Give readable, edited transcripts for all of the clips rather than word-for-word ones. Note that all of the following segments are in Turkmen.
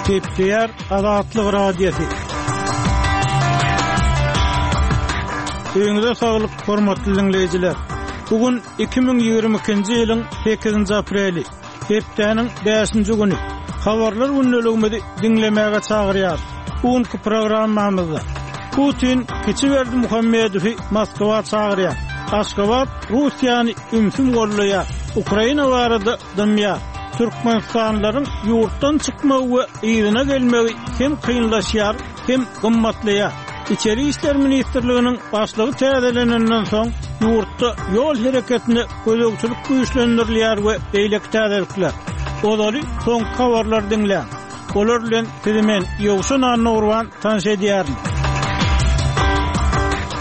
Gepleýär Azatlyk Radiosy. Öýüňize saglyk, hormatly diňleýjiler! Bu gün 2022-nji ýylyň 8-nji apreli, hepdäniň bäşinji güni. Habarlar gündeligimizi diňlemäge çagyrýarys. Bu günki programmamyzda Putin kiçi Berdimuhamedowy Moskwa çagyrýar. Aşgabat Russiýany ümsüm goldaýar. Ukraina barada dymýar. Türkmenistanlylaryň ýurtdan çykmagy we yzyna gelmegi hem kynlaşýar, hem gymmatlaýar. Içeri işler ministrliginiň başlygy täzelenenden soň, ýurtda ýol hereketine gözegçilik güýçlendirilýär we beýleki täzelikler. Ozaly soňky habarlary diňläň. Olar bilen sizi men, Ýowşan Annagurban tanyş edýärin.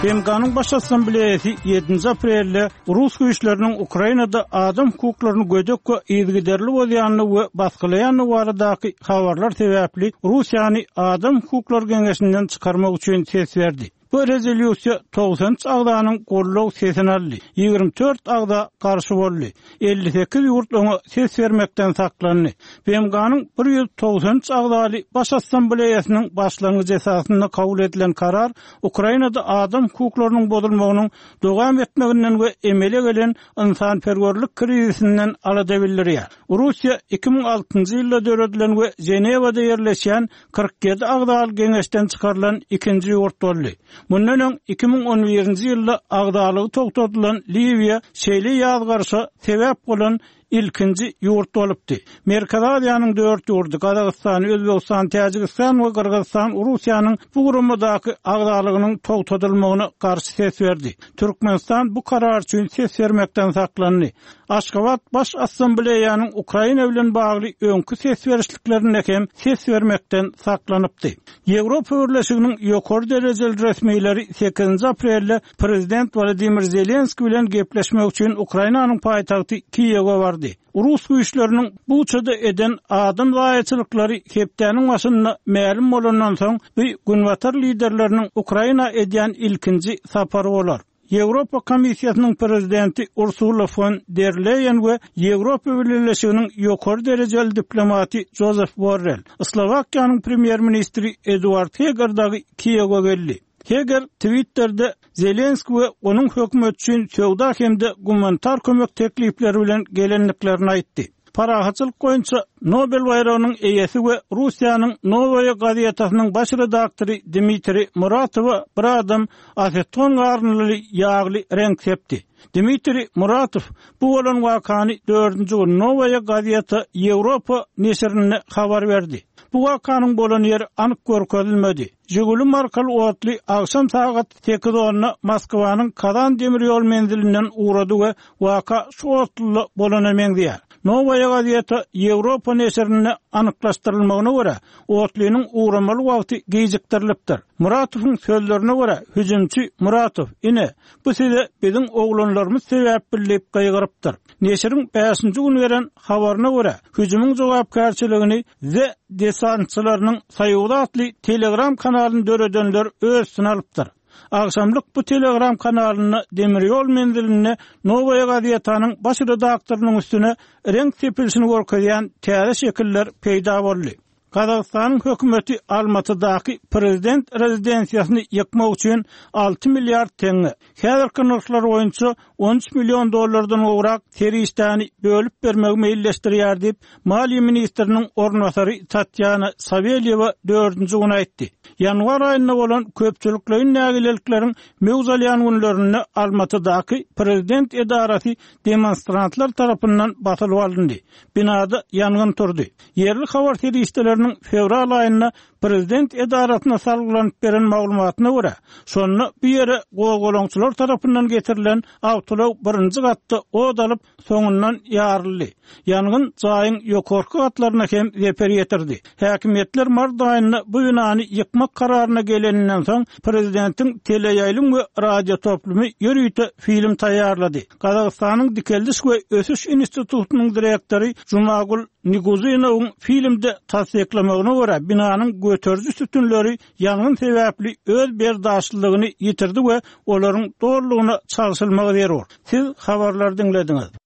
BMG-niň Baş Assambleýasy ýedinji aprelde rus güýçleriniň Ukrainada adam hukuklaryny gödek we yzygiderli bozýandygy we basgylaýandygy baradaky habarlar sebäpli Russiýany Adam hukuklary geňeşinden çykarmak üçin ses berdi. Bu rezolýusiýa 93 agzanyň goldaw sesini aldy, 24 agza garşy boldy, 58 ýurt oňa ses bermekden saklandy. BMG-niň 193 agzaly Baş Assambleýasynyň başlangyjy esasynda kabul edilen karar Ukrainada adam hukuklarynyň bozulmagynyň dowam etmeginden we emele gelen ynsanperwerlik krizisinden alada bildirýär. Russiýa 2006-njy ýylda döredilen we Ženewada ýerleşýän 47 agzaly geňeşden çykarylan ikinji ýurt boldy. Mundan öň 2011-nji ýylda agzalygy togtadylan Liwiýa şeýle ýazgaryşa sebäp bolan ilkinji ýurt bolupdy. Merkezi Aziýanyň dört ýurdy, Gazagystan, Özbegistan, Täjigistan we Gyrgyzystan Russiýanyň bu guramadaky agzalygynyň togtadylmagyna garşy ses berdi. Türkmenistan bu karar üçin ses bermekden saklandy. Aşgabat Baş Assambleýanyň Ukraina bilen bagly öňki ses berişliklerinde hem ses bermekden saklanypdy. Ýewropa Birleşiginiň ýokary derejeli resmileri sekizinji aprelde prezident Wolodymyr Zelenskiý bilen gepleşmek üçin Ukrainanyň paýtagty Kiýewe bardy. Rus güýçleriniň Buçada eden adam zaýaçylyklary hepdäniň başynda mälim bolandan soň, bu günbatar liderleriniň Ukraina edýän ilkinji sapary bolar. Ýewropa Komissiýasynyň prezidenti Ursula fon der Leýen we Ýewropa Bileleşiginiň ýokary derejeli diplomaty Jozef Borrel, Slowakiýanyň premýer-ministri Eduard Heger dagy Kiýewe geldi. Heger Twitterde Zelenskiý we onuň hökümeti üçin söwda hem-de gumanitar kömek teklipleri bilen gelendiklerini aýtdy. Parahatçylyk boýunça Nobel baýragynyň eýesi we Russiýanyň Nowaýa gazetasynyň baş redaktory Dmitriý Muratowa bir adam aseton garyndyly ýagly reňk sepdi. Dmitriý Muratow bu bolan wakany dördünji gün Nowaýa gazeta Ýewropa neşirinde habar berdi. Bu wakanyň bolan ýeri anyk görkezilmedi. Žiguli markaly otly agşam sagat sekiz onda Moskwanyň Kazan demir ýol menzilinden ugrady we Waka şu otluda bolana meňzeýär. Nowaýa gazeta Ýewropa neşirinde anyklaşdyrylmagyna görä, otlynyň ugramaly wagty gijikdirilipdir. Muratowyň sözlerine görä, hüjümçi Muratow, Ine, bu size biziň oglanlarymyz sebäpli diýip gygyrypdyr. Neşiriň bäşinji gün beren habaryna görä, hüjümiň jogapkärçiligini The desantçylarynyň soýuzy atly Telegram kanalyny döredenler öz üstüne alypdyr. Agşamlyk bu Telegram kanalynda demir ýol menzilinde Nowaýa gazetanyň baş redaktorynyň üstüne reňk sepilişini görkezýän täze şekiller peýda boldy. Gazagystanyň hökümeti Almatydaky prezident rezidensiýasyny ýykmak üçin 6 milliard teňňe, häzirki nyrhlar boýunça 13 million dollardan gowrak serişdäni bölüp bermegi meýilleşdirýär diýip, maliýe ministriniň orunbasary Tatýana Sawelýewa dördünji gün aýtdy. Ýanwar aýynda bolan köpçülikleýin nägilelikleriň möwç alýan günlerinde Almatydaky prezident edarasy demonstrantlar tarapyndan basylyp alyndy. Binada ýangyn turdy. Ýerli habar serişdeleriniň fewral aýynda prezident edarasyna salgylanyp beren maglumatyna görä, şonda bu ýere gozgalaňçylar tarapyndan getirilen awtoulag birinji gatda ot alyp, soňundan ýaryldy. Ýangyn jaýyň ýokarky gatlaryna hem zeper ýetirdi. Häkimiýetler mart aýynda bu binany ýykmak kararyna geleninden soň, prezidentiň teleýaýlym we radiotoplumy ýörite film taýýarlady. Gazagystanyň Dikeldiş we ösüş institutynyň direktory Jumagul Niguzinowyň filmde tassyklamagyna görä, binanyň göteriji sütünleri ýangyn sebäpli öz berdaşlylygyny ýitirdi we olaryň dolulygyna çalşylmagy zerur. Siz habarlary diňlediňiz.